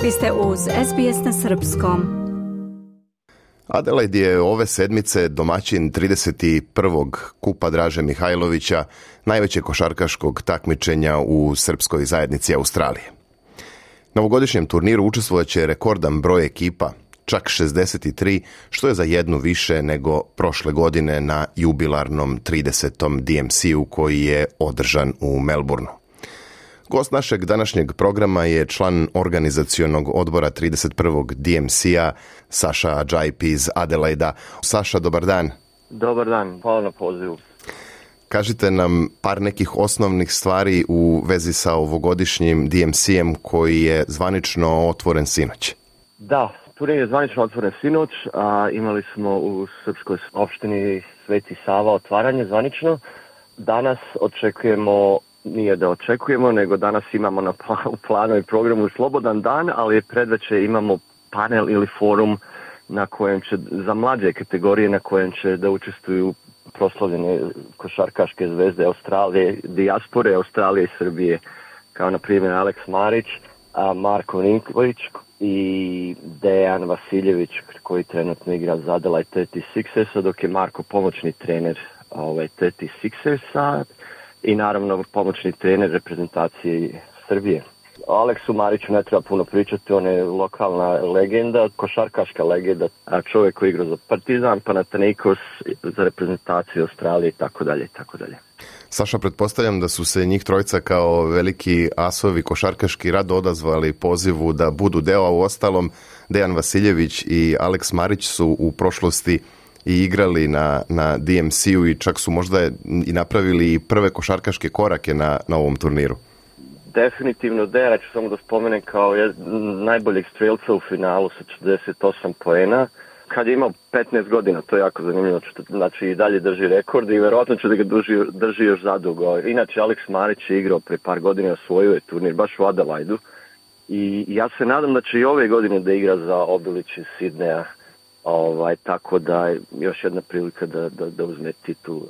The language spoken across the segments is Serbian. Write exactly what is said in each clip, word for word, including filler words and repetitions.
Vi ste uz S B S na srpskom. Adelaide je ove sedmice domaćin trideset prvog kupa Draže Mihajlovića, najvećeg košarkaškog takmičenja u srpskoj zajednici Australije. Na ovogodišnjem turniru učestvovat će rekordan broj ekipa, čak šezdeset tri, što je za jednu više nego prošle godine na jubilarnom tridesetom D M C-u koji je održan u Melbourneu. Gost našeg današnjeg programa je član organizacionog odbora trideset prvog D M C-a, Saša Adžajp iz Adelaida. Saša, dobar dan. Dobar dan, hvala na pozivu. Kažite nam par nekih osnovnih stvari u vezi sa ovogodišnjim D M C-em koji je zvanično otvoren sinoć. Da, turnir je zvanično otvoren sinoć, a imali smo u srpskoj opštini Sveti Sava otvaranje zvanično. Danas očekujemo, nije da očekujemo, nego danas imamo na u planu i programu slobodan dan, ali predveče imamo panel ili forum na kojem će, za mlađe kategorije na kojem će da učestvuju proslavljene košarkaške zvezde Australije, dijaspore Australije i Srbije, kao na primjer Alex Marić, Marko Ninković i Dejan Vasiljević koji trenutno igra za Adelaide trideset šest, dok je Marko pomoćni trener ovaj, trideset šest i naravno pomoćni trener reprezentacije Srbije. Aleksu Mariću ne treba puno pričati, on je lokalna legenda, košarkaška legenda, a čovjek koji igra za Partizan, Panathinaikos, za reprezentaciju Australije i tako dalje i tako dalje. Saša, pretpostavljam da su se njih trojica kao veliki asovi košarkaški rado odazvali pozivu da budu deo, a u ostalom Dejan Vasiljević i Alex Marić su u prošlosti i igrali na, na D M C-u i čak su možda i napravili prve košarkaške korake na, na ovom turniru. Definitivno Dejan, ću samo da spomenem kao je najboljeg strelca u finalu sa četrdeset osam poena. Kad je imao petnaest godina, to je jako zanimljivo, znači i dalje drži rekord i verovatno će da ga drži, drži još zadugo. Inače, Alex Marić je igrao pre par godina, osvojio je turnir baš u Adelaidu i ja se nadam da će i ove godine da igra za Obilić iz Sidneja, ovaj, tako da je još jedna prilika da, da, da uzme titulu.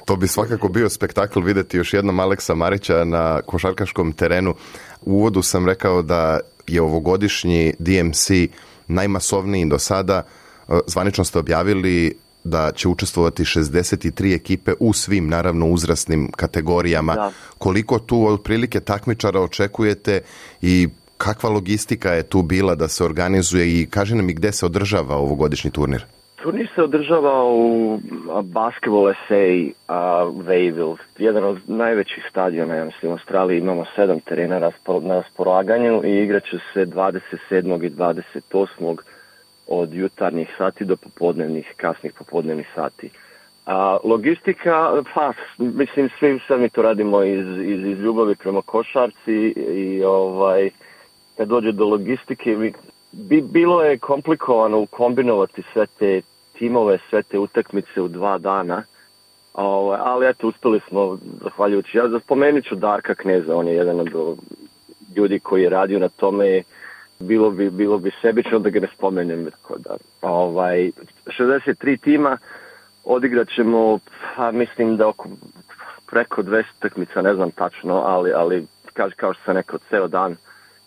To bi svakako bio spektakl vidjeti još jednom Aleksa Marića na košarkaškom terenu. U uvodu sam rekao da je ovogodišnji D M C najmasovniji do sada. Zvanično ste objavili da će učestvovati šezdeset tri ekipe u svim, naravno, uzrasnim kategorijama. Da. Koliko tu otprilike takmičara očekujete i kakva logistika je tu bila da se organizuje i kaži nam i gde se održava ovogodišnji turnir? Turnir se održava u Basketball S A uh, Wayville, jedan od najvećih stadiona, ja mislim, u Australiji. Imamo sedam terena na raspolaganju i igraće se dvadeset sedmog i dvadeset osmog od jutarnjih sati do popodnevnih, kasnih popodnevnih sati. A, logistika, pa, mislim, svi sad mi to radimo iz, iz, iz ljubavi prema košarci i ovaj, kad dođe do logistike, bi, bilo je komplikovano kombinovati sve te timove, sve te utakmice u dva dana, ovaj, ali eto, uspeli smo, zahvaljujući. Ja spomenut ću Darka Kneza, on je jedan od ljudi koji je radio na tome. Bilo bi, bilo bi sebično da ga ne spomenem. Da, ovaj, šezdeset tri tima, odigrat ćemo, pa, mislim da oko preko dvesta utakmica, ne znam tačno, ali, ali kao, kao što sam rekao, ceo dan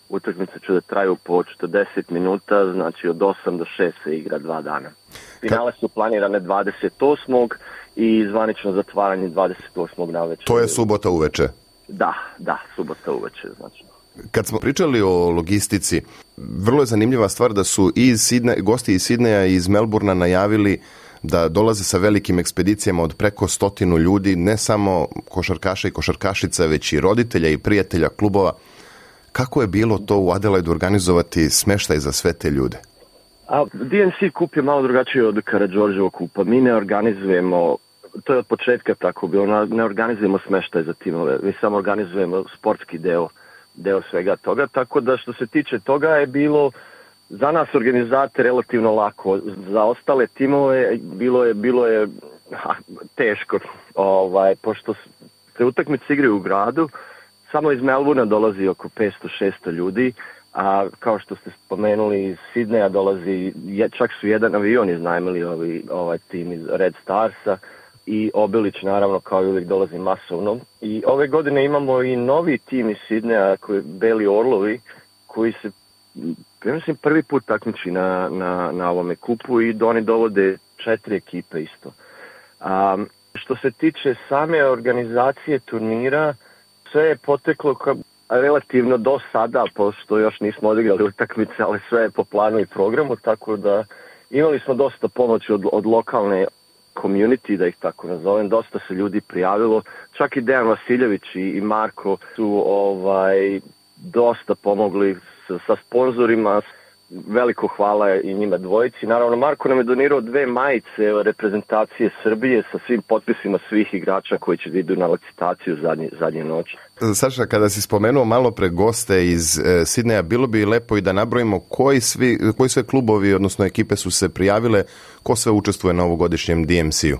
utakmice će da traju po četrdeset minuta, znači od osam do šest se igra dva dana. Finale su planirane dvadeset osmog i zvanično zatvaranje dvadeset osmog navečer. To je subota uveče? Da, da, subota uveče, znači. Kad smo pričali o logistici, vrlo je zanimljiva stvar da su i iz Sidne, gosti iz Sidneja i iz Melbournea najavili da dolaze sa velikim ekspedicijama od preko stotinu ljudi, ne samo košarkaša i košarkašica, već i roditelja i prijatelja klubova. Kako je bilo to u Adelaidu organizovati smeštaj za sve te ljude? A, D M C kup je malo drugačiji od Karađorđevog kupa. Mi ne organizujemo, to je od početka tako bilo, ne organizujemo smeštaj za timove, mi samo organizujemo sportski deo. deo svega toga, tako da što se tiče toga je bilo za nas organizate relativno lako. Za ostale timove bilo je bilo je ha, teško, ovaj, pošto se utakmice igraju u gradu, samo iz Melbournea dolazi oko petsto šesto ljudi, a kao što ste spomenuli iz Sidneja dolazi, čak su jedan avion iznajmili ovaj, ovaj tim iz Red Starsa, i Obilić naravno kao i uvijek dolazi masovno. I ove godine imamo i novi tim iz Sidneja, koji Beli Orlovi, koji se ja mislim, prvi put takmiči na, na, na ovome kupu i oni dovode četiri ekipe isto. Um, što se tiče same organizacije turnira, sve je poteklo ka, relativno do sada, pošto još nismo odigrali utakmice, ali sve je po planu i programu, tako da imali smo dosta pomoći od, od lokalne community, da ih tako nazovem, dosta se ljudi prijavilo, čak i Dejan Vasiljević i, i Marko su ovaj, dosta pomogli sa, sa sponzorima, veliko hvala i njima dvojici. Naravno, Marko nam je donirao dve majice reprezentacije Srbije sa svim potpisima svih igrača koji će da idu na licitaciju zadnje, zadnje noći. Saša, kada si spomenuo malo pre goste iz e, Sidneja, bilo bi lepo i da nabrojimo koji, svi, koji sve klubovi, odnosno ekipe su se prijavile, ko sve učestvuje na ovogodišnjem D M C-u?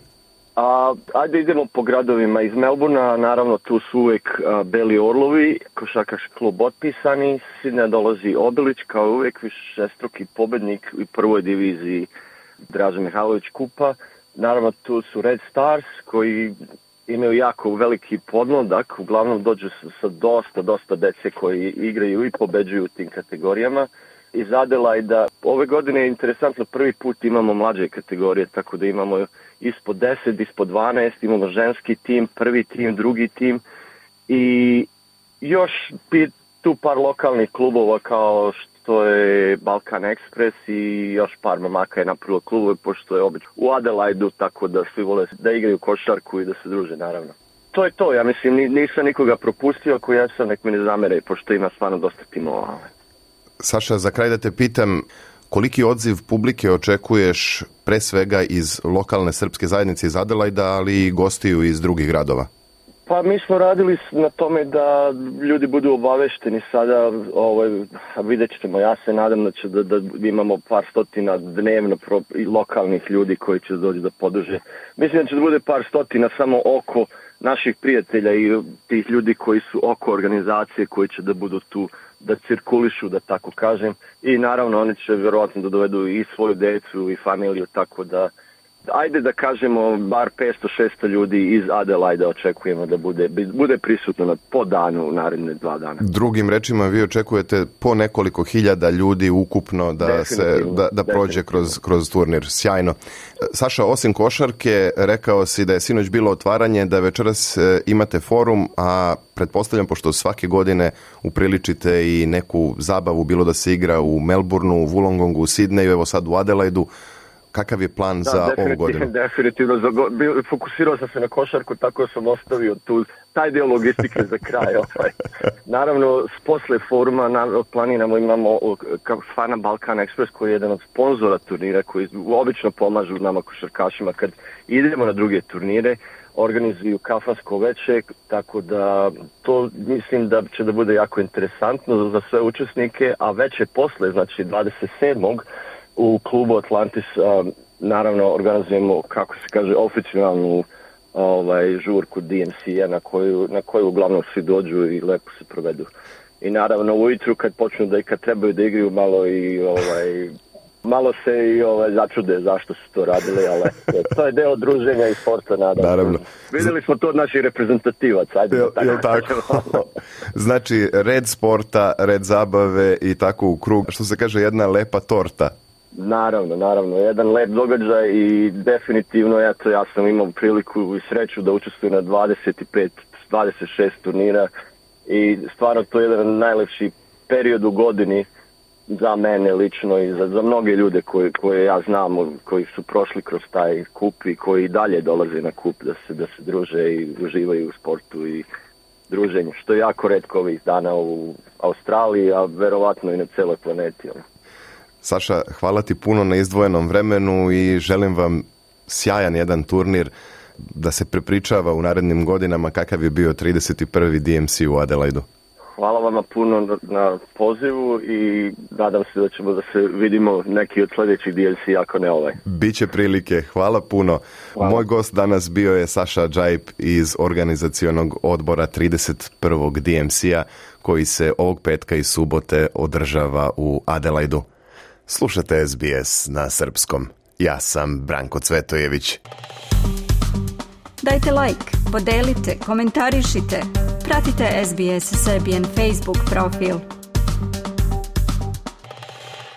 A, ajde idemo po gradovima. Iz Melbourna, naravno, tu su uvek a, Beli Orlovi, košarkaški klub otpisani. Iz Sidneja dolazi Obilić, kao uvek višestruki pobednik u prvoj diviziji Draža Mihajlović kupa. Naravno, tu su Red Stars, koji imaju jako veliki podmladak, uglavnom dođu sa dosta, dosta dece koji igraju i pobeđuju u tim kategorijama. Iz Adelaida, ove godine je interesantno, prvi put imamo mlađe kategorije, tako da imamo ispod deset, ispod dvanaest, imamo ženski tim, prvi tim, drugi tim i još tu par lokalnih klubova kao što je Balkan Express i još par mamaka je napravilo klubove, pošto je obično u Adelaidu, tako da svi vole da igraju košarku i da se druže, naravno. To je to, ja mislim, nisam nikoga propustio, ako ja sam, nek mi ne zamere, pošto ima stvarno dosta timova. Saša, za kraj da te pitam, koliki odziv publike očekuješ pre svega iz lokalne srpske zajednice iz Adelaida, ali i gostiju iz drugih gradova? Pa mi smo radili na tome da ljudi budu obavešteni sada, ovaj, vidjet ćemo, ja se nadam da će da, da imamo par stotina dnevno pro, i lokalnih ljudi koji će doći da podrže. Mislim da će da bude par stotina samo oko naših prijatelja i tih ljudi koji su oko organizacije koji će da budu tu da cirkulišu, da tako kažem. I naravno oni će vjerovatno da dovedu i svoju decu i familiju, tako da ajde da kažemo bar petsto šesto ljudi iz Adelaida očekujemo da bude, bude prisutno na, po danu u naredne dva dana. Drugim rečima, vi očekujete po nekoliko hiljada ljudi ukupno da se da, da prođe kroz, kroz turnir. Sjajno. Saša, osim košarke, rekao si da je sinoć bilo otvaranje, da večeras imate forum, a pretpostavljam, pošto svake godine upriličite i neku zabavu, bilo da se igra u Melbourneu, u Wollongongu, u Sidneju, evo sad u Adelaidu. Kakav je plan da, za ovu godinu? Definitivno, za go, fokusirao sam se na košarku, tako sam ostavio tu, taj deo logistike za kraj. Ovaj. Naravno, posle foruma na, planiramo, imamo Fana Balkan Express, koji je jedan od sponzora turnira, koji obično pomažu nama košarkašima kad idemo na druge turnire, organizuju kafansko veče, tako da to mislim da će da bude jako interesantno za sve učesnike, a veče posle, znači dvadeset sedmog u klubu Atlantis, um, naravno organizujemo, kako se kaže, oficijalnu ovaj, žurku D M C-a na koju, na koju uglavnom svi dođu i lepo se provedu. I naravno ujutru kad počnu da i kad trebaju da igraju malo i ovaj, malo se i ovaj, začude zašto su to radili, ali to je deo druženja i sporta, nadam. Naravno. Vidjeli smo to od naših reprezentativaca. Ajde, jel, jel tako? Znači, red sporta, red zabave i tako u krug, što se kaže, jedna lepa torta. Naravno, naravno, jedan lep događaj i definitivno eto, ja sam imao priliku i sreću da učestvujem na dvadeset pet dvadeset šest turnira i stvarno to je jedan najlepši period u godini za mene lično i za, za mnoge ljude koje, koje ja znam, koji su prošli kroz taj kup i koji dalje dolaze na kup da se, da se druže i uživaju u sportu i druženju, što je jako retko ovih dana u Australiji, a verovatno i na celoj planeti. Saša, hvala ti puno na izdvojenom vremenu i želim vam sjajan jedan turnir da se prepričava u narednim godinama kakav je bio trideset prvi D M C u Adelaidu. Hvala vama puno na, na pozivu i nadam se da ćemo da se vidimo neki od sljedećih D M C, ako ne ovaj. Biće prilike, hvala puno. Hvala. Moj gost danas bio je Saša Džajp iz organizacionog odbora trideset prvog D M C-a koji se ovog petka i subote održava u Adelaidu. Slušate S B S na srpskom. Ja sam Branko Cvetojević. Dajte like, podelite, komentarišite. Pratite S B S Serbian Facebook profil.